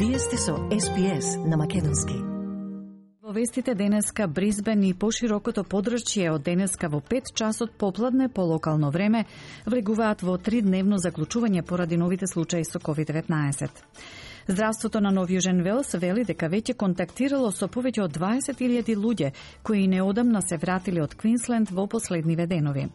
Вие сте со SPS на македонски. Во вестите денеска Брисбен и поширокото подрачје од денеска во 5 часот попладне по локално време влегуваат во 3-дневно заклучување поради новите случаи со COVID-19. Здравството на Нов Јужен Велс вели дека веќе контактирало со повеќе од 20.000 луѓе кои неодамна се вратиле од Квинсленд во последниве денови.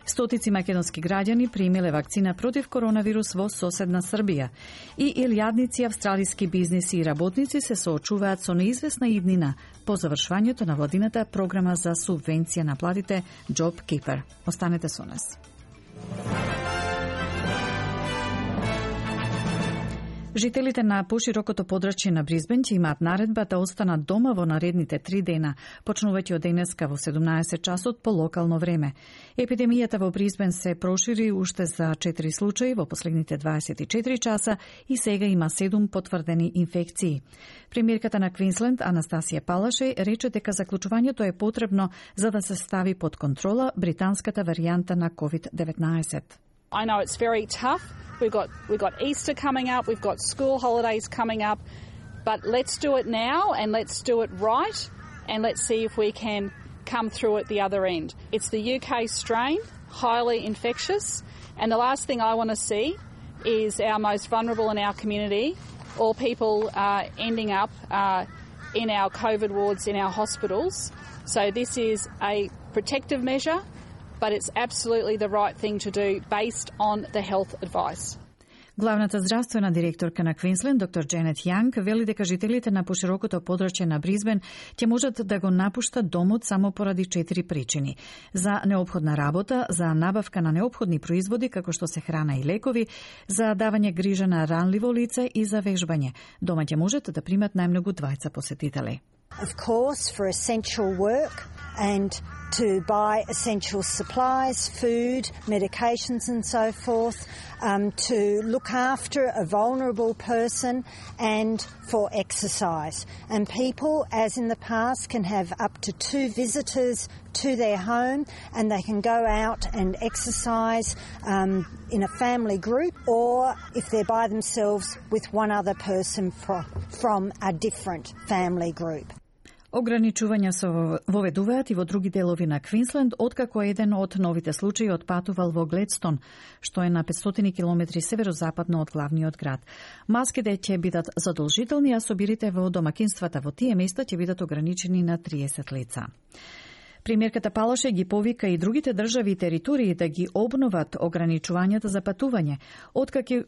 Стотици македонски граѓани примиле вакцина против коронавирус во соседна Србија и илјадници австралиски бизниси и работници се соочуваат со неизвестна иднина по завршувањето на владината програма за субвенција на платите Job Keeper. Останете со нас. Жителите на поширокото подрачје на Брисбен ќе имаат наредба да останат дома во наредните 3 дена, почнувајќи од денеска во 17 часот по локално време. Епидемијата во Брисбен се прошири уште за 4 случаи во последните 24 часа и сега има 7 потврдени инфекции. Премиерката на Квинсленд Анастасија Палашеј рече дека заклучувањето е потребно за да се стави под контрола британската варијанта на COVID-19. I know it's very tough. We've got Easter coming up, we've got school holidays coming up, but let's do it now and let's do it right and let's see if we can come through at the other end. It's the UK strain, highly infectious, and the last thing I want to see is our most vulnerable in our community or people ending up in our COVID wards in our hospitals. So this is a protective measure, but it's absolutely the right thing to do based on the health advice. Главната здравствена директорка на Квинсленд, доктор Дженет Јанг, вели дека жителите на поширокото подрачје на Брисбен ќе можат да го напуштат домот само поради 4 причини. За неопходна работа, за набавка на неопходни производи како што се храна и лекови, за давање грижа на ранливо лице и за вежбање. Дома ќе можат да примат најмногу 20 посетители. Of course, for essential work and to buy essential supplies, food, medications and so forth, to look after a vulnerable person and for exercise. And people, as in the past, can have up to 2 visitors to their home and they can go out and exercise in a family group or if they're by themselves with one other person from a different family group. Ограничувања се воведуваат и во други делови на Квинсленд, откако еден од новите случаи отпатувал во Гледстон, што е на 500 километри северозападно од главниот град. Маските ќе бидат задолжителни, а собирите во домакинствата во тие места ќе бидат ограничени на 30 лица. Премиерката Палаше ги повика и другите држави и територии да ги обноват ограничувањата за патување,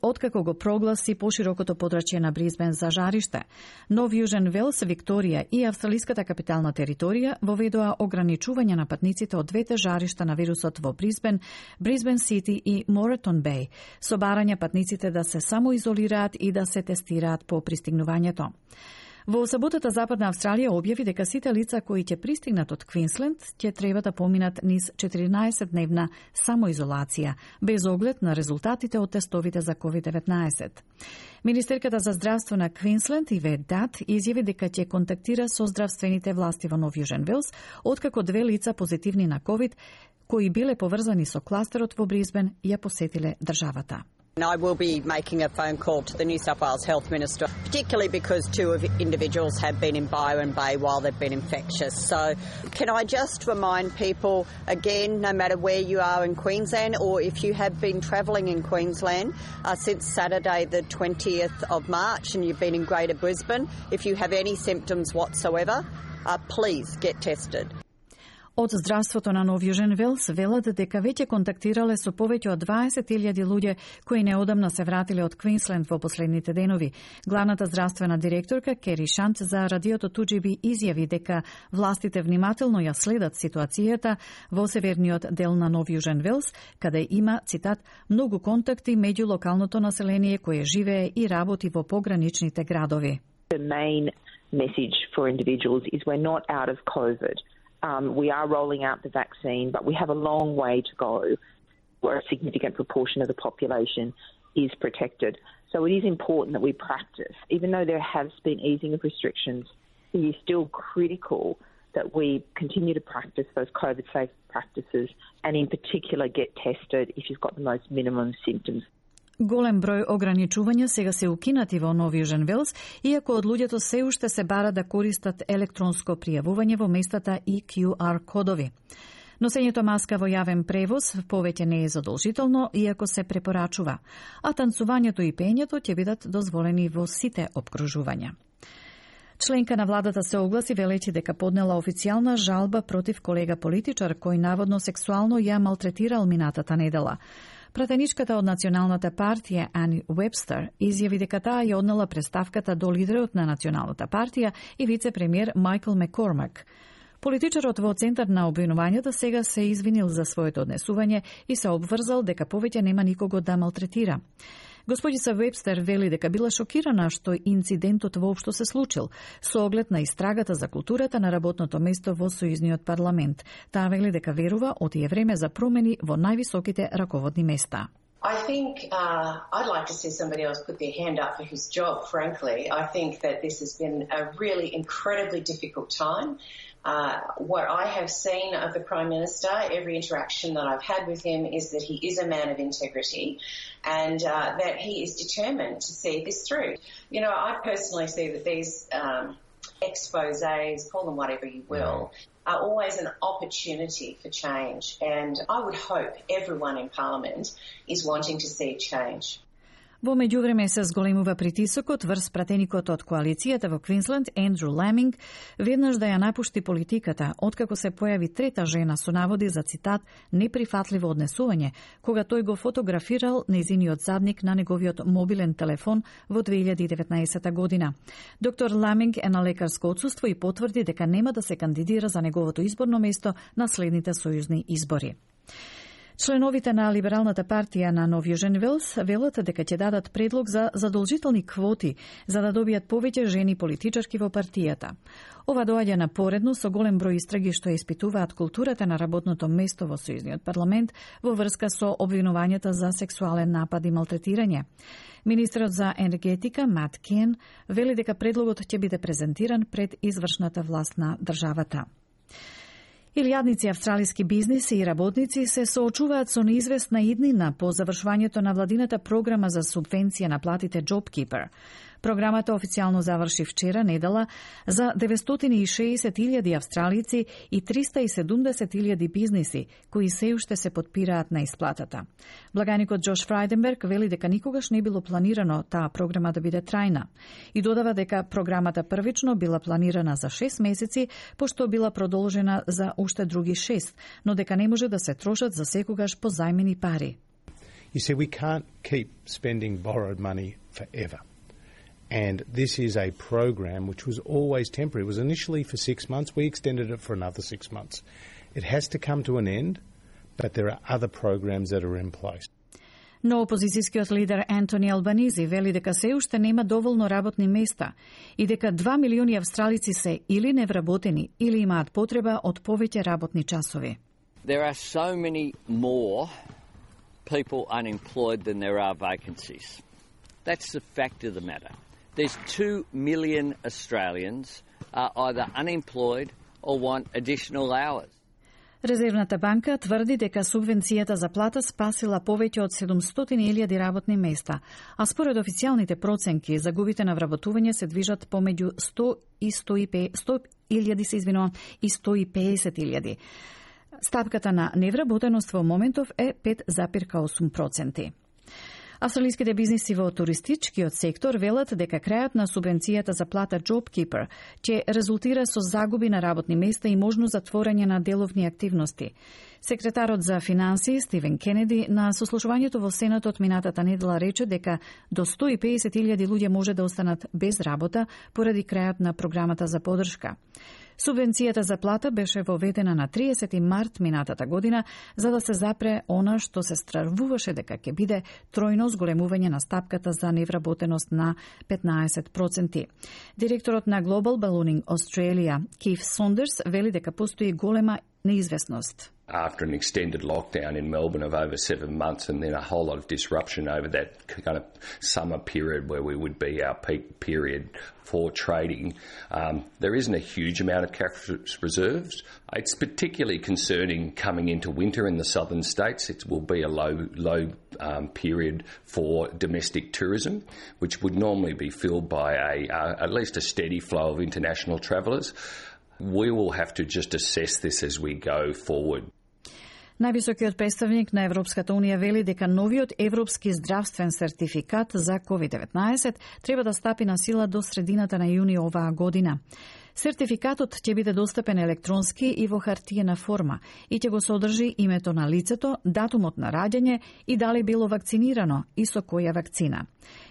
откако го прогласи поширокото подрачје на Брисбен за жариште. Нов Јужен Велс, Викторија и австралиската капитална територија воведоа ограничување на патниците од двете жаришта на вирусот во Брисбен, Брисбен Сити и Моретон Беј, со барање патниците да се самоизолираат и да се тестираат по пристигнувањето. Во саботата Западна Австралија објави дека сите лица кои ќе пристигнат од Квинсленд ќе треба да поминат низ 14-дневна самоизолација, без оглед на резултатите од тестовите за COVID-19. Министерката за здравство на Квинсленд Ивет Дат изјави дека ќе контактира со здравствените власти во Нов Јужен Велс, откако 2 лица позитивни на COVID, кои биле поврзани со кластерот во Брисбен, ја посетиле државата. I will be making a phone call to the New South Wales Health Minister, particularly because 2 individuals have been in Byron Bay while they've been infectious. So can I just remind people, again, no matter where you are in Queensland or if you have been travelling in Queensland since Saturday the 20th of March and you've been in Greater Brisbane, if you have any symptoms whatsoever, please get tested. Од здравството на Нов Јужен Велс велат дека веќе контактирале со повеќе од 20.000 луѓе кои неодамна се вратиле од Квинсленд во последните денови. Главната здравствена директорка Кери Шант за радиото Туџиби изјави дека властите внимателно ја следат ситуацијата во северниот дел на Нов Јужен Велс, каде има, цитат, многу контакти меѓу локалното население кое живее и работи во пограничните градови. The main message for individuals is we're not out of COVID. We are rolling out the vaccine, but we have a long way to go where a significant proportion of the population is protected. So it is important that we practice. Even though there has been easing of restrictions, it is still critical that we continue to practice those COVID-safe practices and in particular get tested if you've got the most minimum symptoms. Голем број ограничувања сега се укинати во Нов Јужен Велс, иако од луѓето се уште се бара да користат електронско пријавување во местата и QR кодови. Носењето маска во јавен превоз повеќе не е задолжително, иако се препорачува, а танцувањето и пеењето ќе бидат дозволени во сите опкружувања. Членка на владата се огласи велејќи дека поднела официјална жалба против колега политичар кој наводно сексуално ја малтретирал минатата недела. Пратеничката од Националната партија Ани Уебстер изјави дека таа ја однела представката до лидерот на Националната партија и вице-премиер Майкл Маккормак. Политичарот во центар на обвинувањата сега се извинил за своето однесување и се обврзал дека повеќе нема никого да малтретира. Господица Вебстер вели дека била шокирана што инцидентот воопшто се случил, со оглед на истрагата за културата на работното место во Сојузниот парламент. Таа вели дека верува отие време за промени во највисоките раководни места. I think I'd like to see somebody else put their hand up for his job, frankly. I think that this has been a really incredibly difficult time. What I have seen of the Prime Minister, every interaction that I've had with him, is that he is a man of integrity and that he is determined to see this through. You know, I personally see that these exposés, call them whatever you will, are always an opportunity for change. And I would hope everyone in Parliament is wanting to see change. Во меѓувреме се зголемува притисокот врз пратеникот од коалицијата во Квинсленд, Ендрю Ламинг, веднаш да ја напушти политиката, откако се појави трета жена со наводи за цитат неприфатливо однесување, кога тој го фотографирал нејзиниот задник на неговиот мобилен телефон во 2019 година. Доктор Ламинг е на лекарско отсуство и потврди дека нема да се кандидира за неговото изборно место на следните сојузни избори. Членовите на Либералната партија на Нов Јужен Велс велат дека ќе дадат предлог за задолжителни квоти за да добијат повеќе жени политичарки во партијата. Ова доаѓа напоредно со голем број истраги што испитуваат културата на работното место во Сојузниот парламент во врска со обвинувањата за сексуален напад и малтретирање. Министерот за енергетика Мат Кен вели дека предлогот ќе биде презентиран пред извршната власт на државата. Илјадници австралиски бизниси и работници се соочуваат со неизвестна иднина по завршувањето на владината програма за субвенција на платите JobKeeper. Програмата официјално заврши вчера недела за 960.000 австралици и 370.000 бизниси кои се уште се потпираат на исплатата. Благаникот Джош Фрајденберг вели дека никогаш не било планирано таа програма да биде трајна и додава дека програмата првично била планирана за 6 месеци, пошто била продолжена за уште други 6, но дека не може да се трошат за секогаш позајмени пари. You see, we can't keep spending borrowed money forever. And this is a program which was always temporary. It was initially for 6 months. We extended it for another 6 months. It has to come to an end, but there are other programs that are in place. Но опозицијскиот лидер Антони Албанизи вели дека се уште нема доволно работни места и дека 2 милиони австралици се или невработени или имаат потреба од повеќе работни часови. There are so many more people unemployed than there are vacancies. That's the fact of the matter. There's 2 million Australians are either unemployed or want additional hours. Резервната банка тврди дека субвенцијата за плата спасила повеќе од 700.000 работни места, а според официјалните проценки, загубите на вработување се движат помеѓу 100.000 и 150.000. Стапката на невработеност во моментов е 5,8%. Австралиските бизниси во туристичкиот сектор велат дека крајот на субвенцијата за плата JobKeeper ќе резултира со загуби на работни места и можно затворање на деловни активности. Секретарот за финансии Стивен Кенеди на сослушувањето во Сенатот минатата недела рече дека до 150.000 луѓе може да останат без работа поради крајот на програмата за поддршка. Субвенцијата за плата беше воведена на 30 март минатата година за да се запре она што се стравуваше дека ќе биде тројно зголемување на стапката за невработеност на 15%. Директорот на Global Ballooning Australia, Keith Saunders, вели дека постои голема неизвестност. After an extended lockdown in Melbourne of over 7 months and then a whole lot of disruption over that kind of summer period where we would be our peak period for trading, there isn't a huge amount of cash reserves. It's particularly concerning coming into winter in the southern states. It will be a low period for domestic tourism, which would normally be filled by at least a steady flow of international travellers. We will have to just assess this as we go forward. Највисокиот представник на Европската Унија вели дека новиот европски здравствен сертификат за COVID-19 треба да стапи на сила до средината на јуни оваа година. Сертификатот ќе биде достапен електронски и во хартиена форма и ќе го содржи името на лицето, датумот на раѓање и дали било вакцинирано и со која вакцина.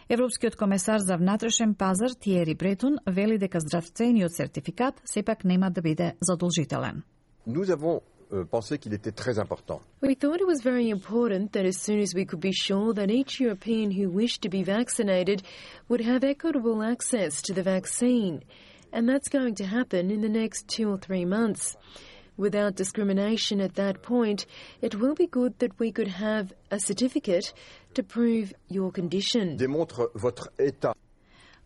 Европскиот комесар за внатрешен пазар Тиери Бретон вели дека здравствениот сертификат сепак нема да биде задолжителен. Pensé qu'il était très important. We thought it was very important that as soon as we could be sure that each European who wished to be vaccinated would have equitable access to the vaccine. And that's going to happen in the next 2 or 3 months. Without discrimination at that point, it will be good that we could have a certificate to prove your condition. Démontre votre état.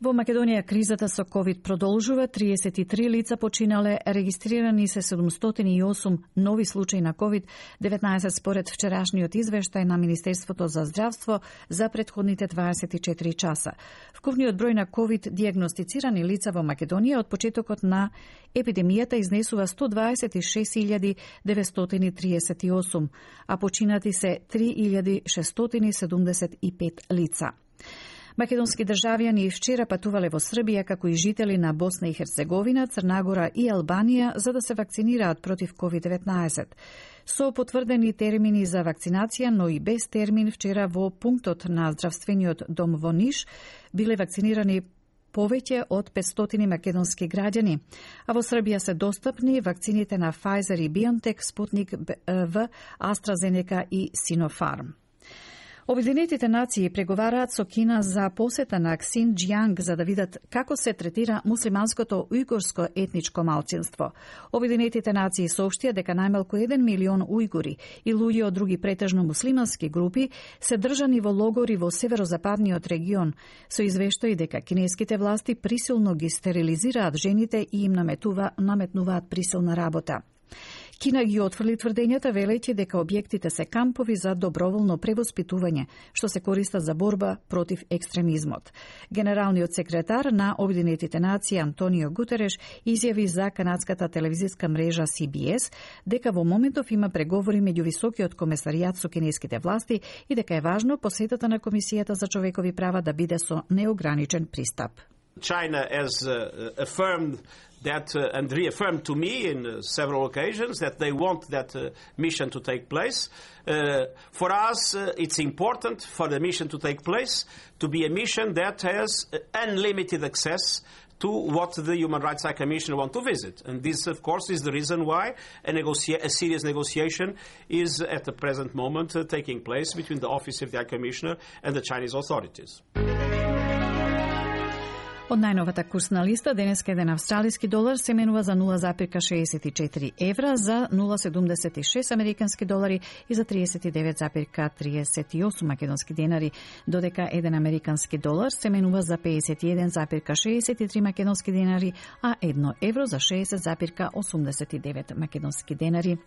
Во Македонија кризата со COVID продолжува. 33 лица починале, регистрирани се 708 нови случаи на COVID-19 според вчерашниот извештај на Министерството за здравство за претходните 24 часа. Вкупниот број на COVID диагностицирани лица во Македонија од почетокот на епидемијата изнесува 126.938, а починати се 3.675 лица. Македонски државјани и вчера патувале во Србија, како и жители на Босна и Херцеговина, Црнагора и Албанија, за да се вакцинираат против COVID-19. Со потврдени термини за вакцинација, но и без термин, вчера во пунктот на здравствениот дом во Ниш биле вакцинирани повеќе од 500 македонски граѓани, а во Србија се достапни вакцините на Pfizer и BioNTech, Sputnik V, AstraZeneca и Sinopharm. Обединетите нации преговараат со Кина за посета на Ксинџјанг за да видат како се третира муслиманското ујгурско етничко малцинство. Обединетите нации соопштија дека најмалку 1 милион ујгури и луѓе од други претежно муслимански групи се држани во логори во северозападниот регион, со извештаи дека кинеските власти присилно ги стерилизираат жените и им наметнуваат присилна работа. Кина ги отфрли тврдењата, велејќи дека објектите се кампови за доброволно превоспитување, што се користат за борба против екстремизмот. Генералниот секретар на Обединетите нации Антонио Гутереш изјави за канадската телевизиска мрежа CBS дека во моментов има преговори меѓу високиот комесаријат со кинеските власти и дека е важно посетата на Комисијата за човекови права да биде со неограничен пристап. China has affirmed that and reaffirmed to me in several occasions that they want that mission to take place. For us, it's important for the mission to take place to be a mission that has unlimited access to what the Human Rights High Commissioner want to visit. And this, of course, is the reason why a serious negotiation is at the present moment taking place between the Office of the High Commissioner and the Chinese authorities. Од најновата курсна листа, денеска еден австралиски долар се менува за 0,64 евра, за 0,76 американски долари и за 39,38 македонски денари, додека еден американски долар се менува за 51,63 македонски денари, а 1 евро за 60,89 македонски денари.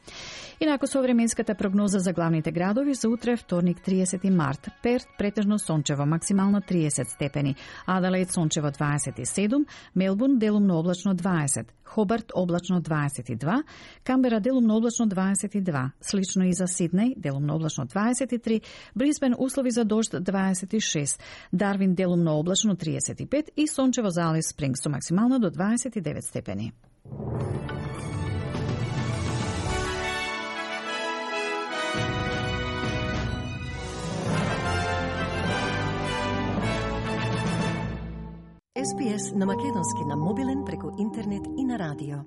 Инаку со временската прогноза за главните градови за утре, вторник 30 март. Перт претежно сончево, максимално 30 степени, Аделаид сончево 27, Мелбурн делумно облачно 20, Хобарт облачно 22, Камбера делумно облачно 22, слично и за Сиднеј делумно облачно 23, Брисбен услови за дожд 26, Дарвин делумно облачно 35 и сончево за Алис Спрингс со максимално до 29 степени. SPS на македонски на мобилен преку интернет и на радио.